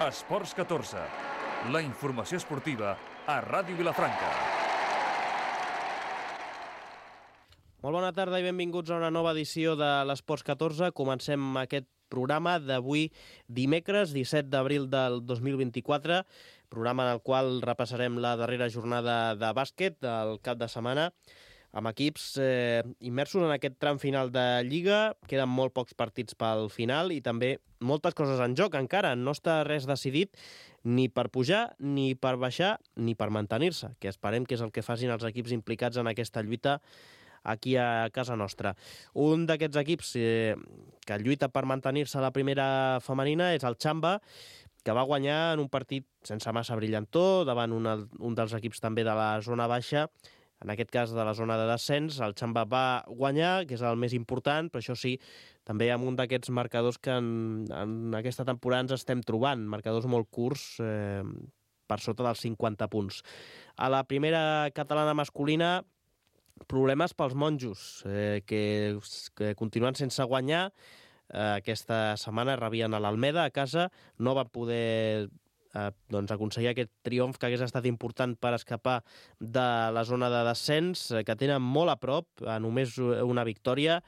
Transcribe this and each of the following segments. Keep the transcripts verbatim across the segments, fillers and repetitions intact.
Esports catorze, la informació esportiva a Ràdio Vilafranca. Molt bona tarda i benvinguts a una nova edició de l'Esports catorze. Comencem aquest programa d'avui dimecres, disset d'abril del dos mil vint-i-quatre, programa en el qual repassarem la darrera jornada de bàsquet del cap de setmana, amb equips eh, immersos en aquest tram final de Lliga. Queden molt pocs partits pel final i també moltes coses en joc encara. No està res decidit ni per pujar, ni per baixar, ni per mantenir-se, que esperem que és el que facin els equips implicats en aquesta lluita aquí a casa nostra. Un d'aquests equips eh, que lluita per mantenir-se a la primera femenina és el Xamba, que va guanyar en un partit sense massa brillantor davant un, un dels equips també de la zona baixa, en aquest cas de la zona de descens. El Xamba va guanyar, que és el més important, però això sí, també amb un d'aquests marcadors que en, en aquesta temporada ens estem trobant, marcadors molt curts, eh, per sota dels cinquanta punts. A la primera catalana masculina, problemes pels monjos, eh, que, que continuen sense guanyar. Eh, aquesta setmana rebien a l'Almeda a casa, no van poder eh, doncs aconseguir aquest triomf que hagués estat important per escapar de la zona de descens, eh, que tenen molt a prop, a només una victòria,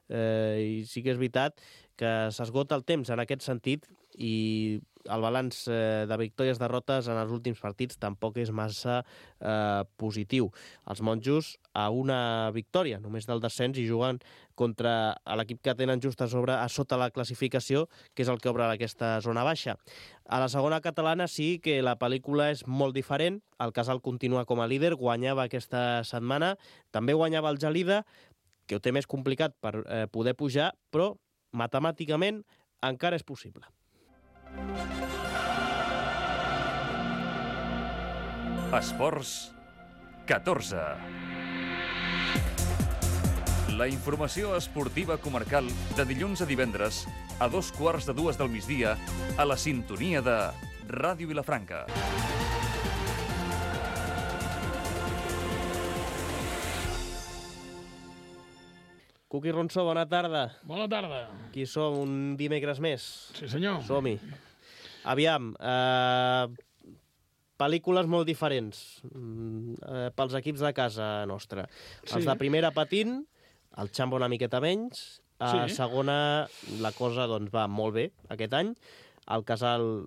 eh, i sí que és veritat que s'esgota el temps en aquest sentit i el balanç eh, de victòries-derrotes en els últims partits tampoc és massa eh, positiu. Els monjos a una victòria només del descens i juguen contra l'equip que tenen just a sobre, a sota la classificació, que és el que obre aquesta zona baixa. A la segona catalana sí que la pel·lícula és molt diferent. El Casal continua com a líder, guanyava aquesta setmana, també guanyava el Gelida, que ho té més complicat per eh, poder pujar, però matemàticament encara és possible. Esports catorze. La informació esportiva comarcal de dilluns a divendres a dos quarts de dues del migdia a la sintonia de Ràdio Vilafranca. Cuqui Ronsó, bona tarda. Bona tarda. Aquí som un dimecres més. Sí, senyor. Som-hi. Aviam, eh, pel·lícules molt diferents eh, pels equips de casa nostra. Sí. Els de primera patint, el Xamba una miqueta menys. A sí. Segona, la cosa doncs, va molt bé aquest any. El Casal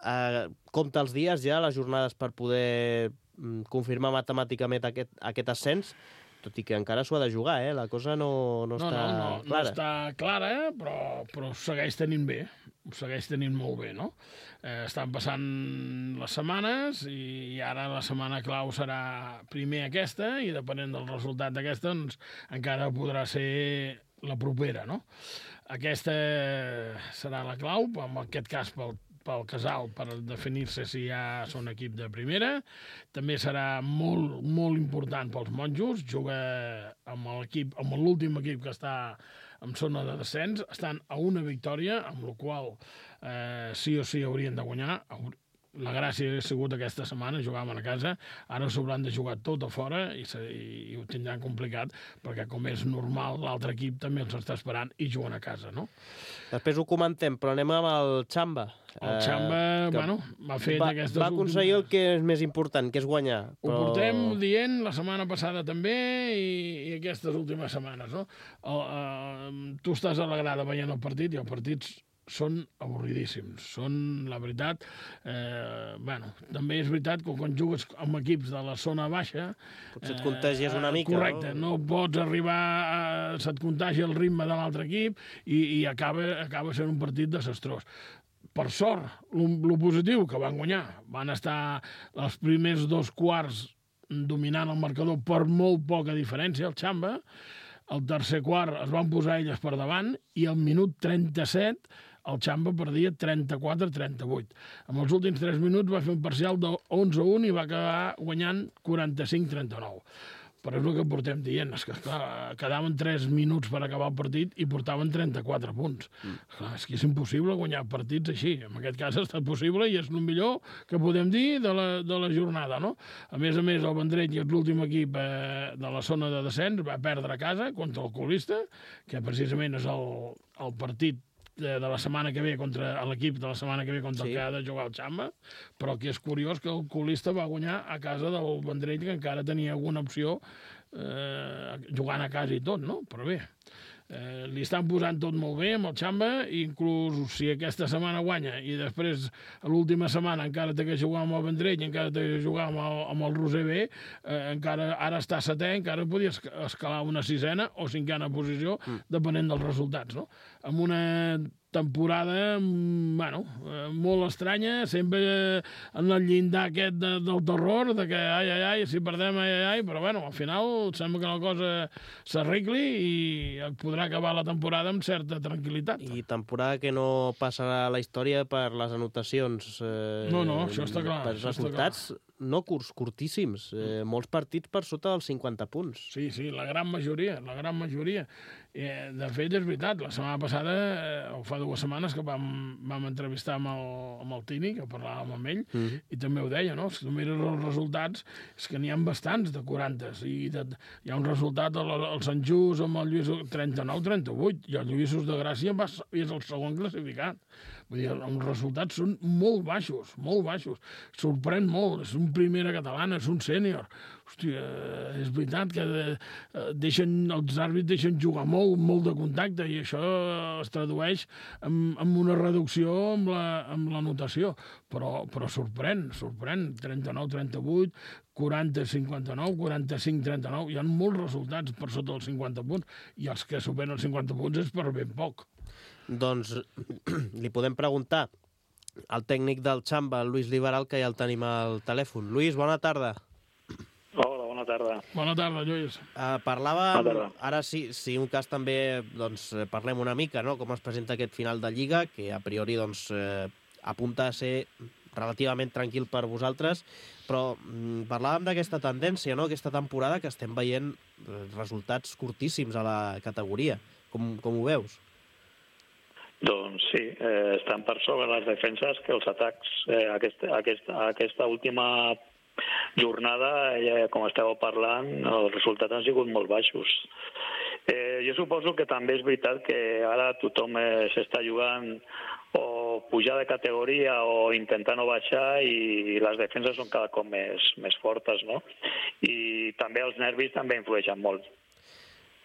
eh, compta els dies ja, les jornades per poder mm, confirmar matemàticament aquest, aquest ascens, tot i que encara s'ho ha de jugar, eh? La cosa no, no, no està no, no, clara. No està clara, eh? però, però segueix tenint bé, segueix tenint molt bé, no? Eh, estan passant les setmanes i, i ara la setmana clau serà primer aquesta i depenent del resultat d'aquesta doncs, encara podrà ser la propera, no? Aquesta serà la clau, en aquest cas pel pel Casal, per definir-se si ja són equip de primera. També serà molt, molt important pels monjos. Juga amb l'equip, amb l'últim equip que està en zona de descens. Estan a una victòria, amb la qual eh, sí o sí haurien de guanyar. La gràcia ha sigut aquesta setmana, jugaven a casa, ara s'hauran de jugar tot a fora i, se, i, i ho tindran complicat, perquè com és normal, l'altre equip també els està esperant i juguen a casa, no? Després ho comentem, però anem amb el Xamba. El Xamba, eh, bueno, va fer va, aquestes va aconseguir últimes... el que és més important, que és guanyar. Però... Ho portem dient la setmana passada també i, i aquestes últimes setmanes, no? El, uh, tu estàs a la grada veient el partit i els partits són avorridíssims, són, la veritat, eh, bueno, també és veritat que quan jugues amb equips de la zona baixa... Potser et contagies una mica, correcte, no? no pots arribar, a, se't contagia el ritme de l'altre equip i, i acaba, acaba sent un partit desastrós. Per sort, el positiu, que van guanyar, van estar els primers dos quarts dominant el marcador per molt poca diferència, el Xamba. El tercer quart es van posar elles per davant i al minut trenta-set el Xamba perdia trenta-quatre a trenta-vuit. En els últims tres minuts va fer un parcial de onze a un i va acabar guanyant quaranta-cinc a trenta-nou. Però és el que portem dient, és que clar, quedaven tres minuts per acabar el partit i portaven trenta-quatre punts. Mm. Clar, és que és impossible guanyar partits així. En aquest cas ha estat possible i és el millor que podem dir de la, de la jornada, no? A més a més, el Vendrell, que és l'últim equip eh, de la zona de descens, va perdre a casa contra el Colista, que precisament és el, el partit de, de la setmana que ve contra l'equip de la setmana que ve contra sí. el que ha de jugar el Xamba, però que és curiós que el colista va guanyar a casa del Vendrell, que encara tenia alguna opció eh, jugant a casa i tot, no? Però bé, Eh, li estan posant tot molt bé amb el Xamba, inclús si aquesta setmana guanya i després a l'última setmana encara té que jugar amb el Vendrell i encara té que jugar amb el, amb el Roser B, eh, encara ara està setè, encara podia escalar una sisena o cinquena posició, mm. depenent dels resultats, no? Amb una temporada, bueno, molt estranya, sempre en el llindar aquest de, del terror, de que ai, ai, ai, si perdem, ai, ai, ai, però bueno, al final sembla que la cosa s'arregli i podrà acabar la temporada amb certa tranquil·litat. I temporada que no passarà a la història per les anotacions. Eh, no, no, això està clar. Per resultats no curts, curtíssims, eh, molts partits per sota dels cinquanta punts. Sí, sí, la gran majoria, la gran majoria. Eh, de fet, és veritat, la setmana passada, eh, o fa dues setmanes, que vam, vam entrevistar amb el, amb el Tini, que parlàvem amb ell, mm -hmm. i també ho deia, no? Si tu mires els resultats, és que n'hi ha bastants de quaranta, i de, hi ha un resultat al, al Sant Just amb el Lluís trenta-nou trenta-vuit, i el Lluïsos de Gràcia va, és el segon classificat. Vull dir, els resultats són molt baixos, molt baixos. Sorprèn molt, és un primera catalana, és un sènior. Hòstia, és veritat que deixen, els àrbits deixen jugar molt, molt de contacte, i això es tradueix en, en una reducció amb la, amb la notació. Però, però sorprèn, sorprèn. trenta-nou trenta-vuit, quaranta cinquanta-nou, quaranta-cinc trenta-nou. Hi ha molts resultats per sota dels cinquanta punts, i els que superen els cinquanta punts és per ben poc. Doncs li podem preguntar al tècnic del Xamba, el Lluís Liberal, que ja el tenim al telèfon. Lluís, bona tarda. Hola, bona tarda. Bona tarda, Lluís. Uh, parlàvem, bona tarda. Ara sí, si un cas també, doncs, parlem una mica, no?, com es presenta aquest final de Lliga, que a priori, doncs, eh, apunta a ser relativament tranquil per vosaltres, però mm, parlàvem d'aquesta tendència, no?, aquesta temporada que estem veient resultats curtíssims a la categoria. Com, com ho veus? Doncs sí, eh, estan per sobre les defenses que els atacs. Eh, aquesta, aquesta, aquesta última jornada, eh, com estàveu parlant, els resultats han sigut molt baixos. Eh, jo suposo que també és veritat que ara tothom eh, s'està jugant o pujar de categoria o intentar no baixar, i les defenses són cada cop més, més fortes, no? I també els nervis també influeixen molt.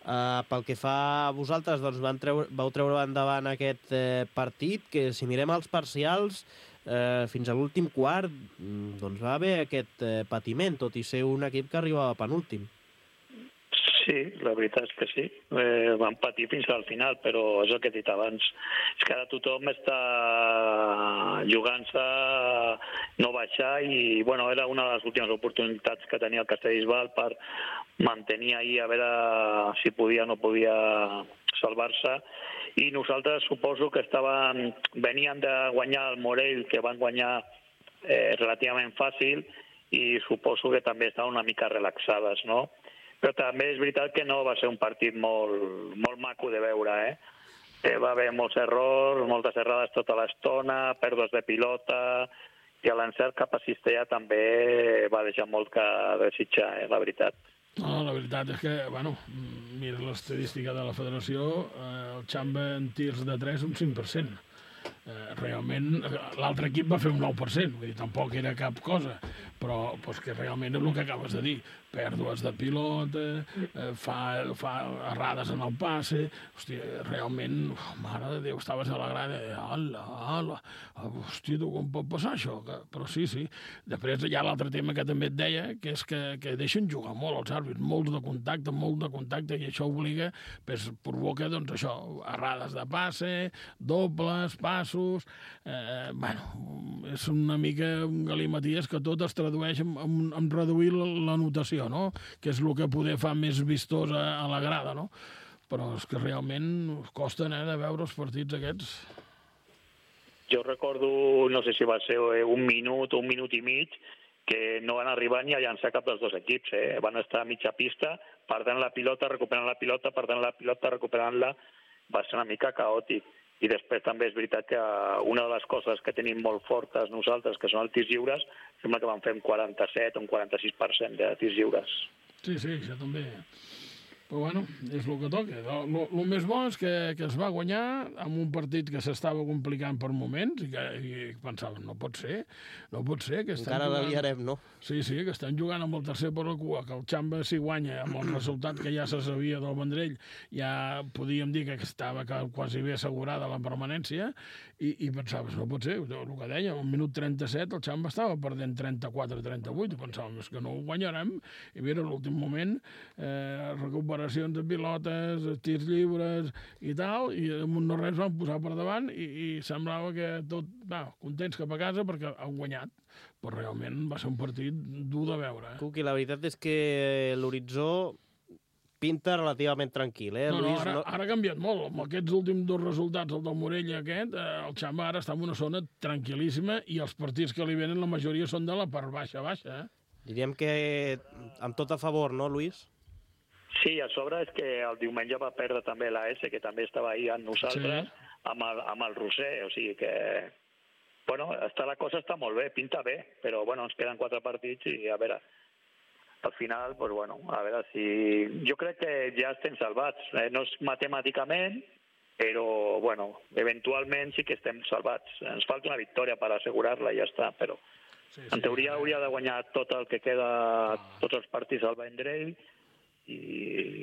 Uh, pel que fa a vosaltres, doncs van treure, vau treure endavant aquest eh, partit, que si mirem els parcials, eh, fins a l'últim quart, doncs va haver aquest eh, patiment, tot i ser un equip que arribava penúltim. Sí, la veritat és que sí. Eh, van patir fins al final, però és el que he dit abans. És que ara tothom està jugant-se no baixar, i bueno, era una de les últimes oportunitats que tenia el Castellbisbal per mantenir ahir a veure si podia o no podia salvar-se. I nosaltres suposo que estaven, venien de guanyar el Morell, que van guanyar eh, relativament fàcil, i suposo que també estaven una mica relaxades, no? Però també és veritat que no va ser un partit molt, molt maco de veure, eh? eh? Va haver molts errors, moltes errades tota l'estona, pèrdues de pilota, i l'encert cap a Cistella també va deixar molt que desitjar, eh? La veritat. No, la veritat és que, bueno, mira l'estadística de la federació, eh, el Xamba en tirs de tres un cinc per cent. Eh, realment, l'altre equip va fer un nou per cent, vull dir, tampoc era cap cosa, però pues, que realment és el que acabes de dir, pèrdues de pilota, eh, fa, fa errades en el passe, hòstia, realment, oh, mare de Déu, estaves a la grada, ala, ala, hòstia, tu com pot passar això? Que, però sí, sí. Després hi ha l'altre tema que també et deia, que és que, que deixen jugar molt els àrbits, molt de contacte, molt de contacte, i això obliga, pues, provoca, doncs això, errades de passe, dobles, passos, eh, bueno, és una mica un galimaties que tot es tradueix en, en, en reduir la, la notació, no? Que és el que poder fa més vistós a, a la grada, no? Però és que realment costen, eh, de veure els partits aquests. Jo recordo, no sé si va ser un minut o un minut i mig, que no van arribar ni a llançar cap dels dos equips, eh? Van estar a mitja pista, perdent la pilota, recuperant la pilota, perdent la pilota, recuperant-la. Va ser una mica caòtic. I després també és veritat que una de les coses que tenim molt fortes nosaltres, que són els tirs lliures, sembla que van fer un quaranta-set o un quaranta-sis per cent de tirs lliures. Sí, sí, això també. Però bueno, és el que toca. El més bo és que, que es va guanyar amb un partit que s'estava complicant per moments i que i pensàvem, no pot ser, no pot ser. Que Encara jugant... la liarem, no? Sí, sí, que estan jugant amb el tercer per la cua, que el Xamba s'hi guanya amb el resultat que ja se sabia del Vendrell, ja podíem dir que estava quasi bé assegurada la permanència, i, i pensaves, no pot ser, el que deia, al minut trenta-set el Xamba estava perdent trenta-quatre a trenta-vuit, i pensàvem, és que no ho guanyarem, i mira, a l'últim moment, eh, recuperacions de pilotes, tirs lliures i tal, i amb un no res van posar per davant, i, i semblava que tot, va, contents cap a casa perquè han guanyat, però realment va ser un partit dur de veure. Eh? Cuqui, la veritat és que l'horitzó pinta relativament tranquil, eh, no, no, Lluís? ara, No... ara ha canviat molt. Amb aquests últims dos resultats, el del Morella aquest, eh, el Xamba ara està en una zona tranquil·líssima i els partits que li venen la majoria són de la part baixa-baixa. Eh? Diríem que amb tot a favor, no, Lluís? Sí, a sobre és que el diumenge va perdre també l'A S, que també estava ahí amb nosaltres, sí. amb, el, amb el Roser, o sigui que... Bueno, està, la cosa està molt bé, pinta bé, però bueno, ens queden quatre partits i a veure... Al final, pues bueno, a veure si... Jo crec que ja estem salvats. Eh? No és matemàticament, però, bueno, eventualment sí que estem salvats. Ens falta una victòria per assegurar-la i ja està, però sí, sí, en teoria sí. hauria de guanyar tot el que queda, ah. tots els partits al Vendrell, i,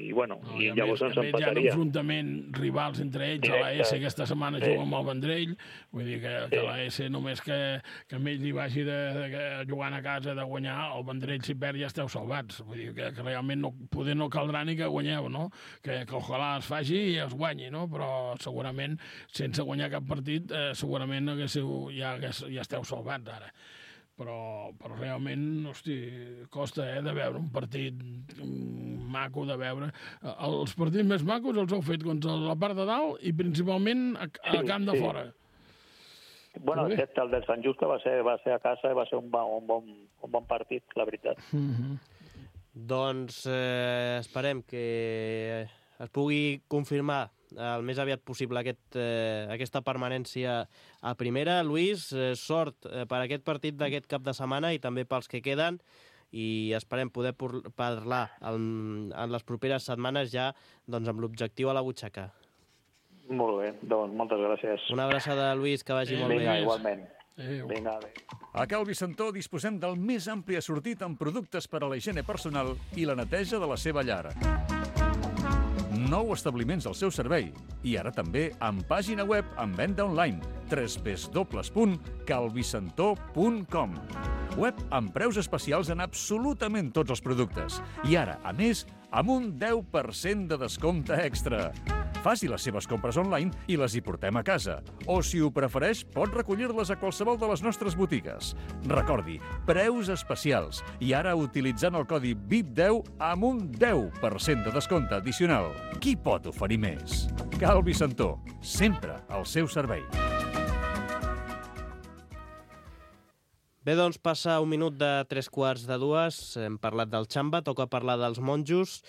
i bueno, no, i, i llavors més, ens empataria. Hi ha un enfrontament rivals entre ells, Directe. A l'A S aquesta setmana sí. juga amb el Vendrell, vull dir que, sí. que l'A S només que, que amb ell li vagi de, de, de, jugant a casa de guanyar, el Vendrell si perd ja esteu salvats, vull dir que, que realment no, poder no caldrà ni que guanyeu, no? Que, que ojalà es faci i es guanyi, no? Però segurament sense guanyar cap partit eh, segurament haguéssiu, ja, ja esteu salvats ara. Però, però realment, hosti, costa eh, de veure un partit maco de veure. Els partits més macos els heu fet contra la part de dalt i principalment a, a camp de sí. fora. Bueno, aquest, el del Sant Just, que va ser, va ser a casa, va ser un, un, bon, un bon partit, la veritat. Mm-hmm. Doncs eh, esperem que es pugui confirmar el més aviat possible aquest, eh, aquesta permanència a primera. Lluís, eh, sort eh, per aquest partit d'aquest cap de setmana i també pels que queden, i esperem poder parlar en, en les properes setmanes ja doncs, amb l'objectiu a la butxaca. Molt bé, doncs moltes gràcies. Una abraçada, Lluís, que vagi eh, molt vinga, bé. Igualment. Adéu. Vinga, adéu. A Cal Vicentó disposem del més ampli assortit en productes per a la higiene personal i la neteja de la seva llar. Nou establiments al seu servei i ara també amb pàgina web amb venda online w w w punt calvicentó punt com. Web amb preus especials en absolutament tots els productes i ara, a més, amb un deu per cent de descompte extra. Faci les seves compres online i les hi portem a casa. O, si ho prefereix, pot recollir-les a qualsevol de les nostres botigues. Recordi, preus especials. I ara utilitzant el codi V I P deu amb un deu per cent de descompte addicional. Qui pot oferir més? Cal Vicentó, sempre al seu servei. Bé, doncs passa un minut de tres quarts de dues. Hem parlat del Xamba, toca parlar dels monjos.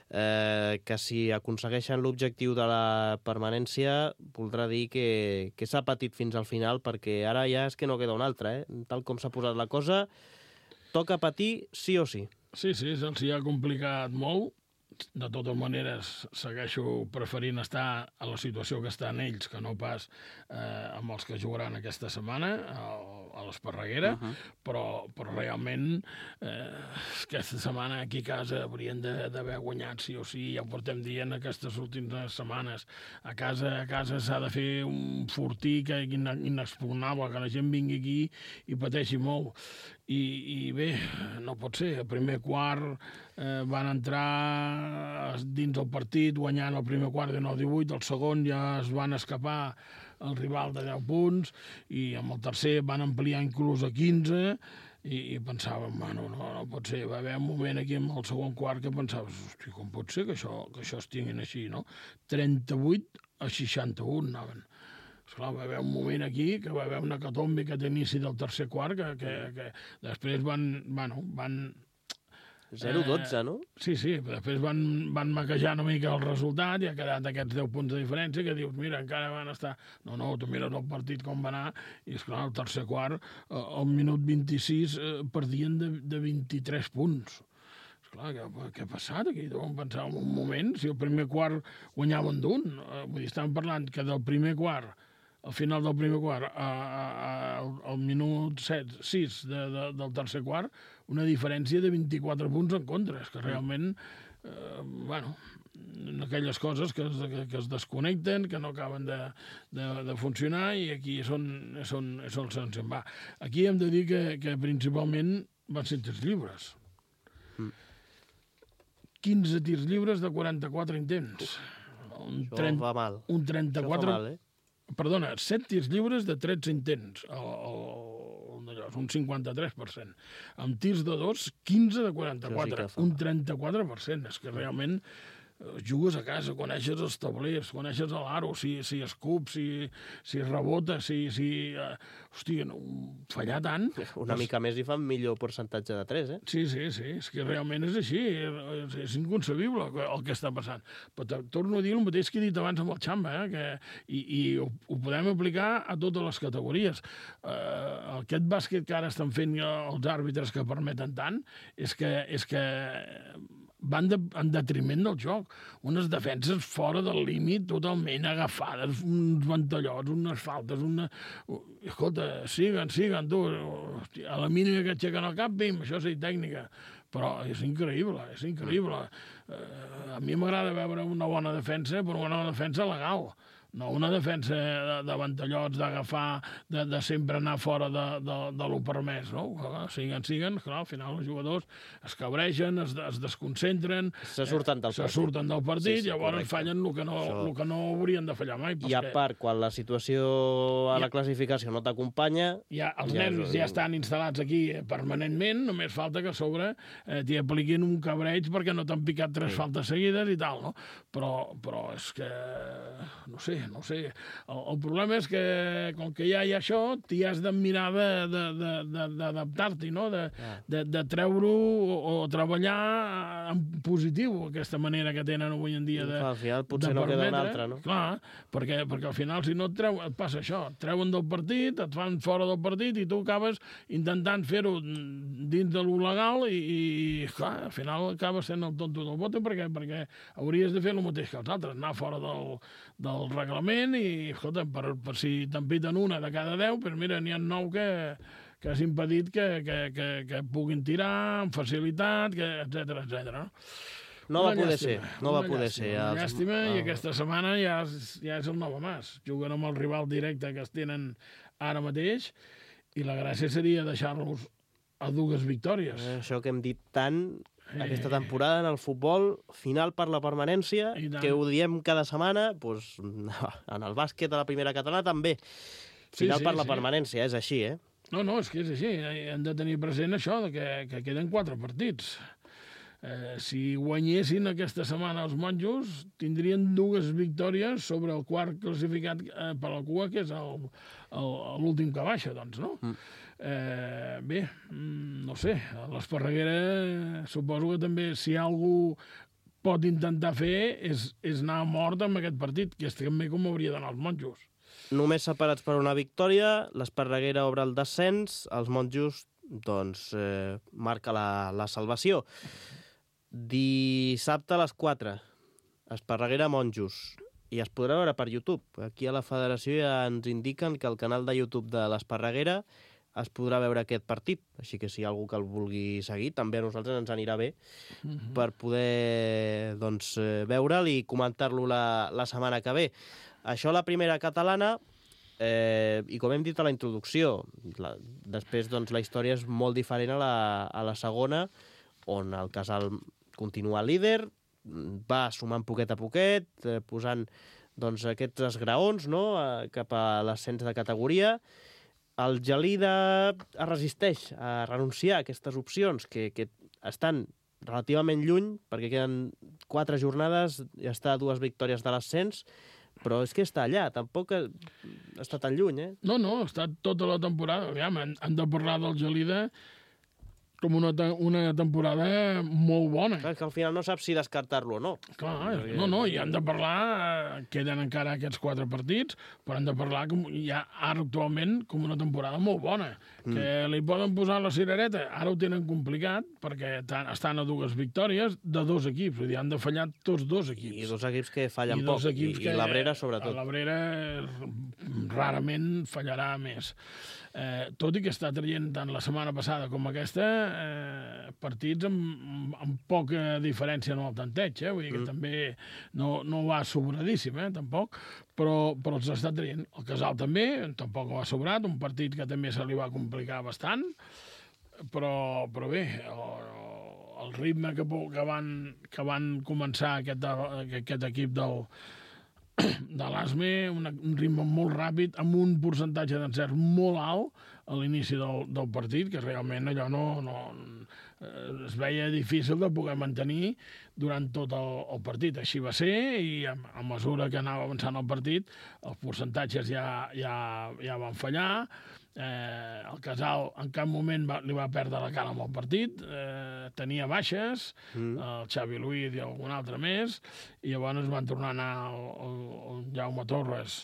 Eh, que si aconsegueixen l'objectiu de la permanència voldrà dir que, que s'ha patit fins al final, perquè ara ja és que no queda un altre, eh? Tal com s'ha posat la cosa, toca patir sí o sí. Sí, sí, se'ls hi ha complicat molt. De totes maneres, segueixo preferint estar a la situació que estan ells, que no pas eh, amb els que jugaran aquesta setmana a, a l'Esparreguera, uh-huh. però, però realment eh, aquesta setmana aquí a casa haurien d'haver guanyat sí o sí, ja ho portem dient aquestes últimes setmanes. A casa a casa s'ha de fer un fortí que inexpugnable, que la gent vingui aquí i pateixi molt. I, i bé, no pot ser. El primer quart eh, van entrar dins del partit guanyant el primer quart de nou divuit, el segon ja es van escapar el rival de deu punts i amb el tercer van ampliar inclús a quinze i, i pensàvem, bueno, no, no pot ser. Va haver un moment aquí amb el segon quart que pensaves, hosti, com pot ser que això, que això es tinguin així, no? trenta-vuit a seixanta-un anaven. Esclar, va haver un moment aquí que va haver una catombe que a l'inici del tercer quart que, que, que després van... Bueno, van zero dotze, no? Sí, sí, després van, van maquejar una mica el resultat i ha quedat aquests deu punts de diferència que dius, mira, encara van estar... No, no, tu mires el partit com va anar i, esclar, el tercer quart, al minut vint-i-sis, eh, perdien de, de vint-i-tres punts. clar, què, què ha passat aquí? Deuen pensar en un moment, si el primer quart guanyaven d'un. Vull dir, estàvem parlant que del primer quart, al final del primer quart, a, a, a, al minut set, sis de, de, del tercer quart, una diferència de vint-i-quatre punts en contra. És que realment, eh, bueno, aquelles coses que es, que, que es desconnecten, que no acaben de, de, de funcionar, i aquí són, són, són se'n va. Aquí hem de dir que, que principalment van ser tirs lliures. Mm. quinze tirs lliures de quaranta-quatre intents. Un Això va mal. Un trenta-quatre... Això fa mal, eh? Perdona, set tirs lliures de tretze intents. El, el, el, un cinquanta-tres per cent. Amb tirs de dos, quinze de quaranta-quatre. Sí, un trenta-quatre per cent. És que realment jugues a casa, coneixes els tablers, coneixes l'aro, si, si escup, si, si rebota, si... si uh, hòstia, no, fallar tant... Una doncs... mica més i fan millor percentatge de tres, eh? Sí, sí, sí, és que realment és així, és, és inconcebible el que està passant. Però torno a dir el mateix que he dit abans amb el Xamba, eh? Que, i i ho, ho podem aplicar a totes les categories. Uh, aquest bàsquet que ara estan fent els àrbitres que permeten tant, és que... És que van de, en detriment del joc. Unes defenses fora del límit, totalment agafades, uns ventallots, unes faltes, una... Escolta, siguen, siguen, tu. A la mínima que aixequen el cap, bim, això és tècnica. Però és increïble, és increïble. Uh, a mi m'agrada veure una bona defensa, però una bona defensa legal. No una defensa de, de ventallots, d'agafar, de, de sempre anar fora de, de, de lo permès, no? Siguen, siguen, clar, al final els jugadors es cabreixen, es, es desconcentren... Se surten del se partit. Se surten del partit, sí, sí, llavors correcte. Fallen el que, no, Això... el que no haurien de fallar mai. I a part, quan la situació a la classificació no t'acompanya... Ja, els ja nervis és... ja estan instal·lats aquí permanentment, només falta que a sobre eh, t'hi apliquin un cabreig perquè no t'han picat tres sí. faltes seguides i tal, no? Però, però és que... no sé, no sé. El, el problema és que, com que ja hi ha això, t'hi has de mirar d'adaptar-t'hi, no? De, de, de treure-ho o, o treballar en positiu, aquesta manera que tenen avui en dia de, al final potser de no permetre. Queda una altra, no? Clar, perquè, perquè al final, si no et treu, et passa això. Et treuen del partit, et fan fora del partit i tu acabes intentant fer-ho dins de lo legal i, i clar, al final acabes sent el tonto del bote perquè, perquè hauries de fer el mateix que els altres, anar fora del, del reglament i, escolta, per, per si t'empiten una de cada deu, però mira, n'hi ha nou que, que has impedit que, que, que, que puguin tirar amb facilitat, etcètera, etcètera. No va poder ser, no va poder ser. Una llàstima, i aquesta setmana ja és, ja és el nou Mas. Juguen amb el rival directe que es tenen ara mateix i la gràcia seria deixar-los a dues victòries. Eh, això que hem dit tant aquesta temporada en el futbol, final per la permanència, que ho diem cada setmana, doncs, en el bàsquet a la primera catalana també. Final sí, sí, per la sí. permanència, és així, eh? No, no, és que és així. Hem de tenir present això, de que, que queden quatre partits. Eh, si guanyessin aquesta setmana els monjos, tindrien dues victòries sobre el quart classificat eh, per la cua, que és l'últim que baixa, doncs, no? Mm. Eh, bé, no sé, l'Esparreguera suposo que també, si algú pot intentar fer, és, és anar a mort amb aquest partit, que és també com hauria d'anar els monjos. Només separats per una victòria, l'Esparreguera obre el descens, els monjos, doncs, eh, marca la, la salvació. Dissabte a les quatre, Esparreguera Monjos, i es podrà veure per YouTube. Aquí a la federació ja ens indiquen que el canal de YouTube de l'Esparreguera es podrà veure aquest partit, així que si hi ha algú que el vulgui seguir, també a nosaltres ens anirà bé uh-huh. per poder doncs, veure'l i comentar-lo la, la setmana que ve. Això la primera catalana, eh, i com hem dit a la introducció, la, després doncs, la història és molt diferent a la, a la segona, on el Casal continua líder, va sumant poquet a poquet, eh, posant doncs, aquests esgraons, no?, eh, cap a l'ascens de categoria. El Gelida es resisteix a renunciar a aquestes opcions que, que estan relativament lluny, perquè queden quatre jornades i està a dues victòries de l'ascens, però és que està allà, tampoc està tan lluny, eh? No, no, està tota la temporada. Aviam, han, han de parlar del Gelida com una, una temporada molt bona. Clar, que al final no saps si descartar-lo o no. Clar, no, no, i han de parlar, queden encara aquests quatre partits, però han de parlar com, ja ara actualment com una temporada molt bona, mm. que li poden posar la cirereta, ara ho tenen complicat, perquè estan a dues victòries de dos equips, vull dir, han de fallar tots dos equips. I dos equips que fallen I poc, i, que, i l'Abrera sobretot. L'Abrera rarament fallarà més. Eh, tot i que està traient tant la setmana passada com aquesta eh, partits amb, amb poca diferència en el tanteig, eh? Vull dir que mm. també no, no va sobradíssim, eh? Tampoc, però, però els està traient. El Casal també, tampoc va sobrat, un partit que també se li va complicar bastant, però, però bé, el, el ritme que, que, van, que van començar aquest, aquest equip del de l'A S M E, un ritme molt ràpid, amb un percentatge d'encert molt alt a l'inici del, del partit, que realment allò no, no es veia difícil de poder mantenir durant tot el, el partit. Així va ser, i a, a mesura que anava avançant el partit, els percentatges ja, ja, ja van fallar. Eh, el Casal en cap moment va, li va perdre la cara amb el partit, eh, tenia baixes, mm. el Xavi Luiz i algun altre més, i llavors van tornar a anar el, el, el Jaume Torres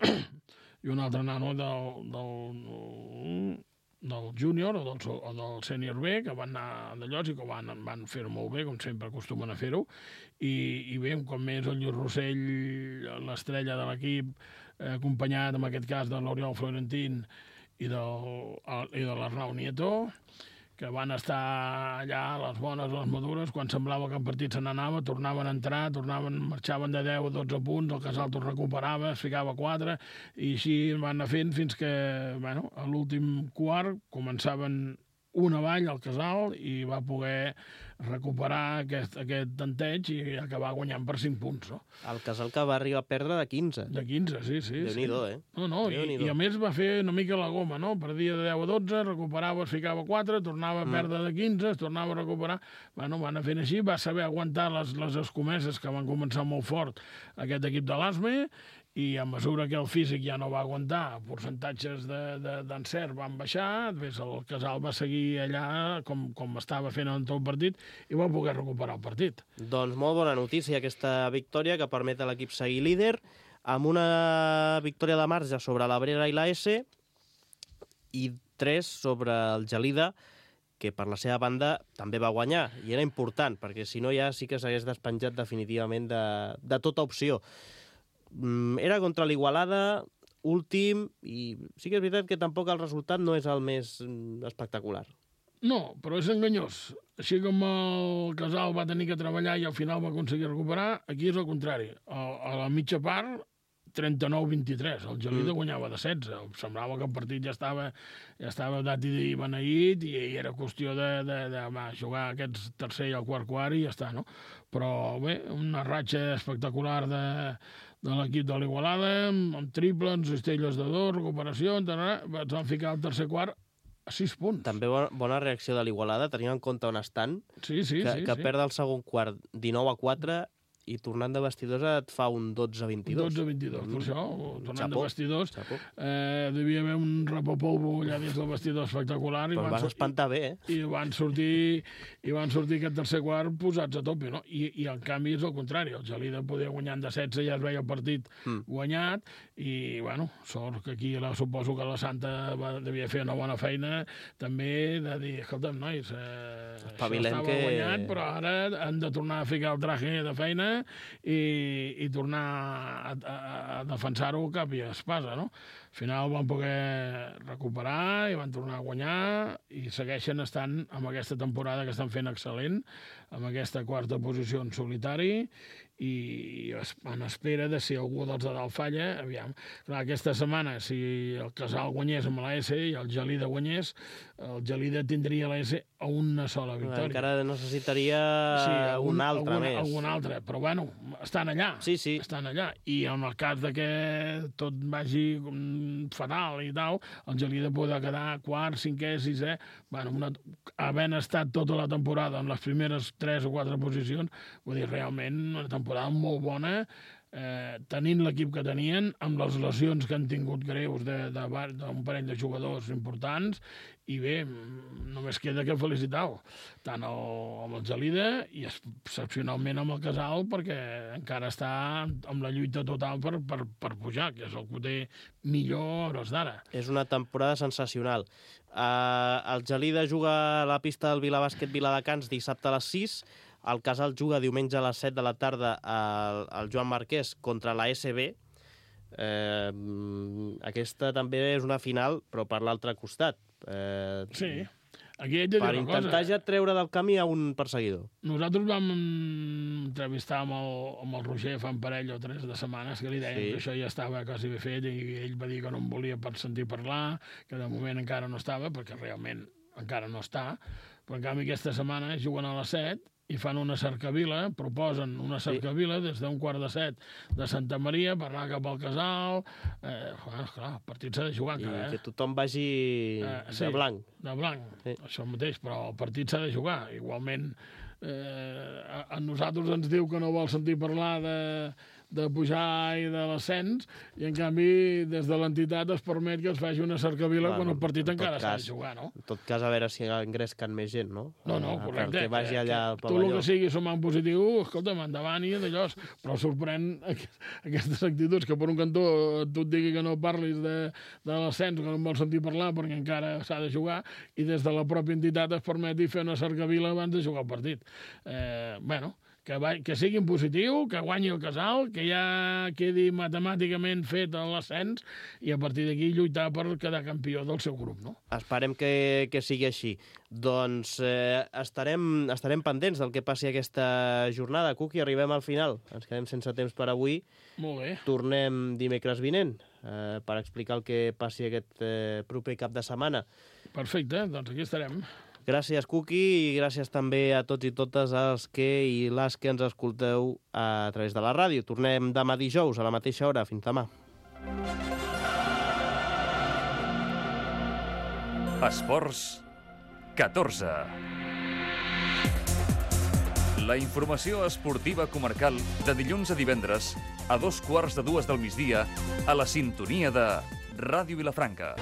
i un altre nano del, del, del júnior o del, o del sènior B, que van anar d'allò i que van, van fer-ho molt bé, com sempre acostumen a fer-ho, i, i bé, un cop més el Lluís Rossell, l'estrella de l'equip, eh, acompanyat en aquest cas de l'Oriol Florentín i, del, i de l'Arnau Nieto, que van estar allà a les bones, a les madures, quan semblava que el partit se n'anava, tornaven a entrar, tornaven, marxaven de deu a dotze punts, el Casal tot recuperava, es ficava quatre, i així van anar fent fins que, bueno, a l'últim quart començaven un avall al Casal i va poder recuperar aquest, aquest tanteig i acabar guanyant per cinc punts. No? El Casal que va arribar a perdre de quinze. De quinze, sí, sí. Déu-n'hi-do, sí. eh? No, no, i, i a més va fer una mica la goma, no? Perdia de deu a dotze, recuperava, es ficava quatre, tornava a perdre de quinze, es tornava a recuperar. Bueno, van anar fent així, va saber aguantar les, les escomeses que van començar molt fort aquest equip de l'A S M E, i a mesura que el físic ja no va aguantar, percentatges d'encert de, de, van baixar, després el Casal va seguir allà com, com estava fent en tot el partit i va poder recuperar el partit. Doncs molt bona notícia aquesta victòria que permet a l'equip seguir líder, amb una victòria de marge sobre l'Abrera i la S i tres sobre el Gelida, que per la seva banda també va guanyar, i era important, perquè si no ja sí que s'hagués despenjat definitivament de, de tota opció. Era contra l'Igualada, últim, i sí que és veritat que tampoc el resultat no és el més espectacular. No, però és enganyós. Així com el Casal va tenir que treballar i al final va aconseguir recuperar, aquí és el contrari. A, a la mitja part, trenta-nou a vint-i-tres. El Gelida mm. guanyava de setze. Semblava que el partit ja estava, ja estava dat i beneït i, i era qüestió de, de, de, de jugar aquests tercer i el quart quart i ja està, no? Però bé, una ratxa espectacular de, de l'equip de l'Igualada, amb, amb triples, cistelles de dos, recuperació, ens van ficar al tercer quart a sis punts. També bona, bona reacció de l'Igualada, tenint en compte on estan, sí, sí, que, sí, que sí. perd el segon quart dinou a quatre i tornant de vestidors et fa un dotze a vint-i-dos. dotze a vint-i-dos, mm. per això, tornant Xapó. de vestidors, eh, devia haver un rapopolvo allà dins del vestidor espectacular. Però i van vas espantar bé, eh? I van sortir, i van sortir aquest tercer quart posats a tope, no? I, i en canvi és el contrari, el Gelida podia guanyar de setze, ja es veia el partit mm. guanyat, i, bueno, sort que aquí la, suposo que la Santa va, devia fer una bona feina, també de dir, escolta'm, nois, eh, això estava que... guanyat, però ara han de tornar a ficar el traje de feina i, i tornar a, a, a defensar-ho cap i espasa, no? Al final van poder recuperar i van tornar a guanyar i segueixen estant amb aquesta temporada que estan fent excel·lent, amb aquesta quarta posició en solitari i en espera de si algú dels de dalt falla, aviam. Clar, aquesta setmana, si el Casal guanyés amb la S i el Gelida guanyés, el Gelida tindria la S a una sola victòria. Encara necessitaria sí, algun, un altre algun, més. Algun altre, però bueno, estan allà. Sí, sí. Estan allà. I en el cas de que tot vagi fatal i tal, el Gelida podrà quedar quart, cinquè, sisè, bueno, una, havent estat tota la temporada en les primeres tres o quatre posicions, vull dir, realment una temporada molt bona, eh, tenint l'equip que tenien, amb les lesions que han tingut greus d'un parell de jugadors importants, i bé, només queda que felicitar-ho, tant el, amb el Gelida i excepcionalment amb el Casal, perquè encara està amb la lluita total per, per, per pujar, que és el que ho té millor a hores d'ara. És una temporada sensacional. Uh, el Gelida juga a la pista del Vilabàsquet Viladecans dissabte a les sis, el Casal juga diumenge a les set de la tarda al, al Joan Marquès contra la S B. Eh, aquesta també és una final, però per l'altre costat. Eh, sí, aquí he de dir per una intentar cosa. ja treure del camí a un perseguidor. Nosaltres vam entrevistar amb el, amb el Roger fa un parell o tres de setmanes que li dèiem Sí. que això ja estava quasi ben fet i ell va dir que no em volia per sentir parlar, que de moment encara no estava, perquè realment encara no està, però en canvi aquesta setmana juguen a les set i fan una cercavila, proposen una cercavila des d'un quart de set de Santa Maria per anar cap al Casal. Eh, clar, clar, el partit s'ha de jugar I encara, eh? que tothom vagi Eh, sí. de blanc. De blanc, Sí. això mateix, però el partit s'ha de jugar. Igualment, eh, a, a nosaltres ens diu que no vol sentir parlar de, de pujar i de l'ascens, i en canvi des de l'entitat es permet que es faci una cercavila Bueno, quan el partit en tot encara s'ha cas, de jugar, no? En tot cas, a veure si engresquen més gent, no? No, no, Eh, correcte. Perquè vagi allà al Tu el pavelló. que sigui sumar en positiu, escolta'm, endavant i d'allò. Però sorprèn aquestes actituds que per un cantó tu et digui que no parlis de, de l'ascens, que no en vols sentir parlar perquè encara s'ha de jugar, i des de la pròpia entitat es permeti fer una cercavila abans de jugar el partit. Eh, bueno, que, va, que sigui en positiu, que guanyi el Casal, que ja quedi matemàticament fet l'ascens i a partir d'aquí lluitar per quedar campió del seu grup, no? Esperem que, que sigui així. Doncs eh, estarem, estarem pendents del que passi aquesta jornada. Cuqui, arribem al final. Ens quedem sense temps per avui. Molt bé. Tornem dimecres vinent eh, per explicar el que passi aquest eh, proper cap de setmana. Perfecte, doncs aquí estarem. Gràcies, Cuqui, i gràcies també a tots i totes els que i les que ens escolteu a través de la ràdio. Tornem demà dijous a la mateixa hora. Fins demà. Esports catorze. La informació esportiva comarcal de dilluns a divendres a dos quarts de dues del migdia a la sintonia de Ràdio Vilafranca.